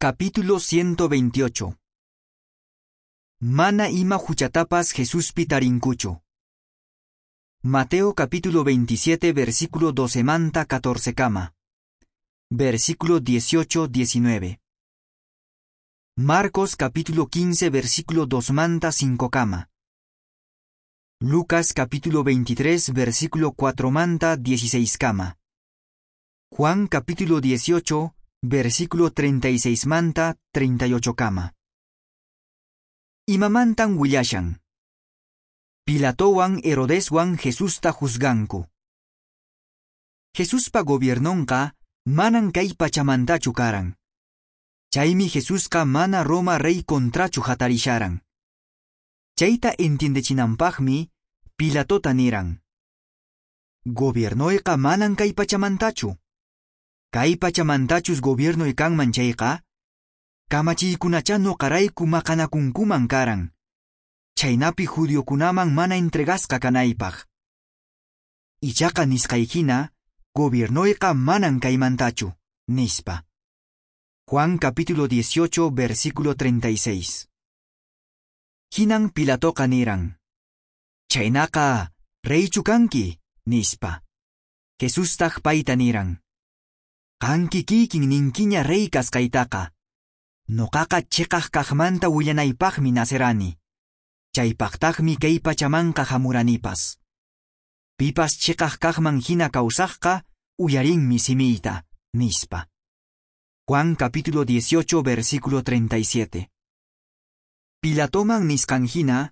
Capítulo 128. Mana ima huchatapas Jesuspi tarinkuchu. Mateo capítulo 27 versículo 12 manta 14 kama. Versículo 18 19. Marcos capítulo 15 versículo 2 manta 5 kama. Lucas capítulo 23 versículo 4 manta 16 kama. Juan capítulo 18 versículo 36 manta 38 kama. Imamantan willashan. Pilatowan Herodeswan Jesusta juzganku. Jesuspa gobiernonqa manan kay pachamantachu karan. Chaymi Jesusqa mana Roma rey contrachu hatarisharan. Chayta entiendechinanpaqmi Pilatota niran. Gobiernoyqa manan kay pachamantachu. Kay pachamantachus gobiernoy kanman chayqa, kamachiykunacha nuqarayku maqanakunkuman karan. Chaynapi judiokunaman mana entregasqa kanaypaq. Ichaqa nisqaykina, gobiernoyqa manan kaymantachu, nispa. Juan capítulo 18, versículo 36. Hinan Pilatoqa niran. Chaynaqa, reychu kanki, nispa. Jesustaq payta niran. Qanki kikin ninkiña rey kasqaytaqa. Nuqaqa chiqaq kaqmanta willanaypaqmi nacerani. Chaypaqtaqmi kay pachamanqa hamuranipas. Pipas chiqaq kaqman hina kawsaqqa uyarinmi simiyta, nispa. Juan capítulo 18, versículo 37. Pilatoman nisqan hina,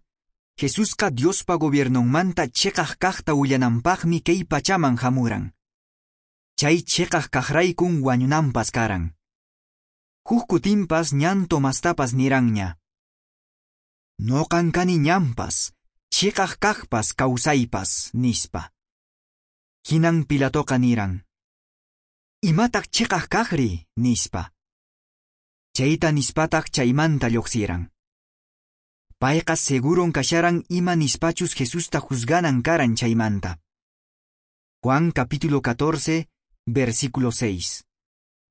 Jesusqa Diospa gobiernonmanta chiqaq kaqta willananpaqmi kay pachaman hamuran. Chay chiqaq kaqraykun wañunanpas karan. Huk kutinpas ñan Tomastapas niranña. Noqan kani ñanpas, chiqaq kaqpas kawsaypas, nispa. Hinan Pilatoqa niran. Imataq chiqaq kaqri, nispa. Chayta nispataq chaymanta lluqsiran. Payqa seguron kasharan ima nispachus Jesusta juzganan karan chaymanta. Juan capítulo 14, versículo 6.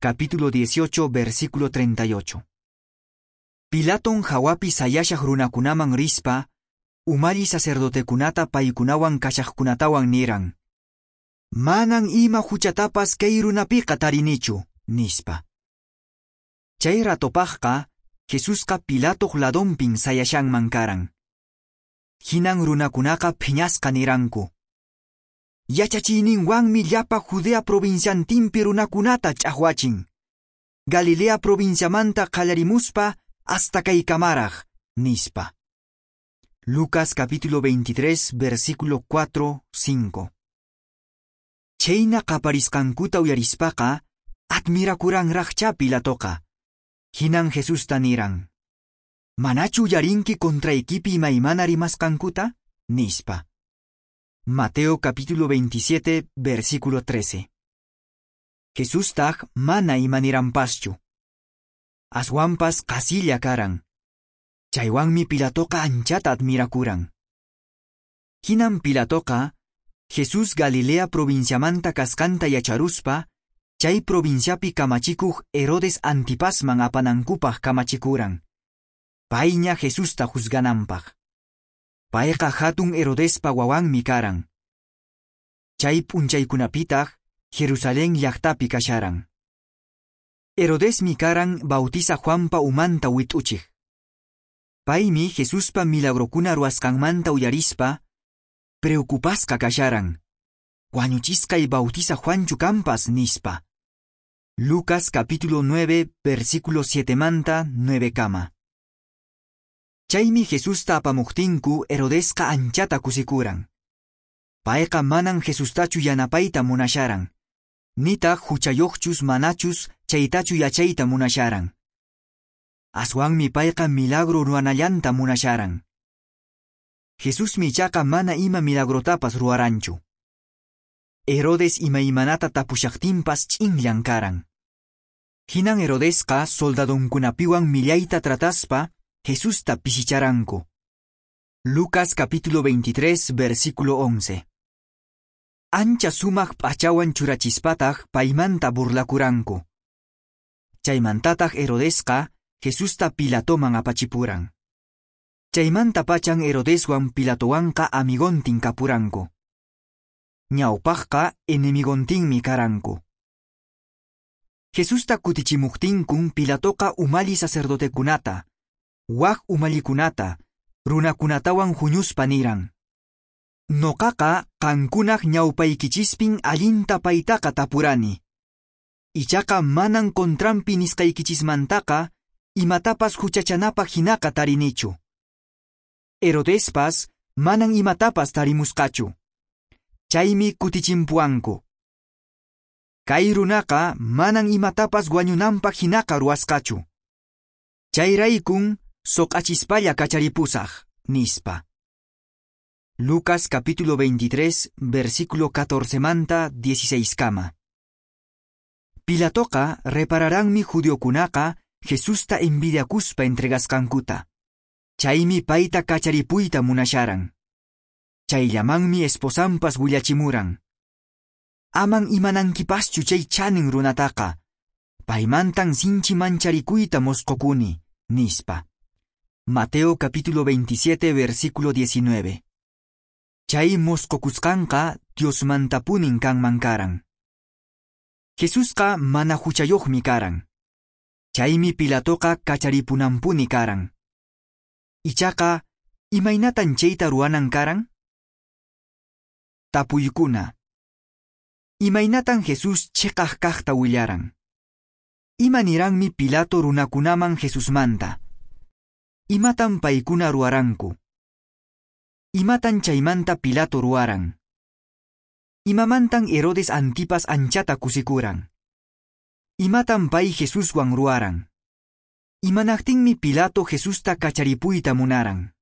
Capítulo 18, versículo 38. Pilaton hawapi sayashaq runakunaman rispa, umalli sacerdotekunata paykunawan kashaqkunatawan niran. Manan ima huchatapas kay runapiqa tarinichu, nispa. Chay ratopaqqa, Jesusqa Pilatoq ladonpin sayashanman karan. Hinan runakunaqa phiñasqa niranku. Yachachiyninwanmi llapa Judea provinciantinpi runakunata ch'aqwachin. Galilea provinciamanta qallarimuspa hasta kaykamaraq, nispa. Lucas capítulo 23, versículo 4, 5. Chayna qaparisqankuta uyarispaqa, admirakuranraqchá Pilatoqa. Hinan Jesusta niran. Manachu uyarinki contraykipi imaymana rimasqankuta? Nispa. Mateo capítulo 27, versículo 13. Jesustaq mana imaniranpaschu. Aswanpas qasilla karan. Chaywanmi Pilatoqa anchata admirakuran. Hinan Pilatoqa, Jesús Galilea provinciamanta kasqanta yacharuspa, chay provinciapi kamachikuq Herodes Antipasman apanankupaq kamachikuran. Payña Jesusta juzgananpaq. Payqa hatun Herodespa wawanmi karan. Chay p'unchaykunapitaq Jerusalén llaqtapi kasharan. Herodesmi karan Bautizaq Juanpa umanta wit'uchiq. Paymi Jesuspa milagrokuna ruwasqanmanta uyarispa, preocupasqa kasharan. Wañuchisqay Bautizaq Juanchu kanpas, nispa. Lucas capítulo 9, versículo 7 manta 9 kama. Chaymi Jesusta apamuqtinku Herodesqa anchata kusikuran. Payqa manan Jesustachu yanapayta munasharan. Nitaq huchayuqchus manachus chaytachu yachayta munasharan. Aswanmi payqa milagro ruwanallanta munasharan. Jesusmi ichaqa mana ima milagrotapas ruwaranchu. Herodes imaymanata tapushaqtinpas ch'inllan karan. Hinan Herodesqa soldadonkunapiwan millayta trataspa Jesusta pisicharanku. Lucas capítulo 23, versículo 11. Ancha sumaq p'achawan churachispataq paymanta burlakuranku. Chaymantataq Herodesqa Jesusta Pilatoman apachipuran. Chaymantapachan Herodeswan Pilatowanqa amigontin kapuranku. Ñawpaqqa enemigontinmi karanku. Jesusta kutichimuqtinkun Pilatoqa umalli sacerdotekunata, wak umallikunata, runakunatawan huñuspa niran: Noqaqa qankunaq ñawpaykichispin allinta paytaqa tapurani. Ichaqa manan contranpi nisqaykichismantaqa imatapas huchachanapaq hinaqa tarinichu. Herodespas manan imatapas tarimusqachu. Chaymi kutichimpuanku. Kay runaqa manan imatapas wañunanpaq hinaqa ruwasqachu. Chayraykun soq'achispalla kacharipusaq, nispa. Lucas capítulo 23, versículo 14 manta 16 kama. Pilatoqa repararanmi judiokunaqa Jesusta envidiakuspa entregasqankuta. Chaymi payta kacharipuyta munasharan. Chayllamanmi esposanpas willachimuran: Aman imanankipaschu chay chanin runataqa. Paymantan sinchi mancharikuyta mosqokuni, nispa. Mateo capítulo 27, versículo 19. Chay mosqokusqanqa Diosmantapunin kanman karan. Jesusqa mana huchayuqmi karan. Chaymi Pilatoqa kacharipunanpuni karan. Ichaqa, imaynatan chayta ruwanan karan? Tapuykuna. Imaynatan Jesús chiqaq kaqta willaran? Ima niranmi Pilato runakunaman Jesusmanta? Imatan paykuna ruwaranku? Imatan chaymanta Pilato ruwaran? Imamantan Herodes Antipas anchata kusikuran? Imatan pay Jesuswan ruwaran? Imanaqtinmi Pilato Jesusta kacharipuyta munaran?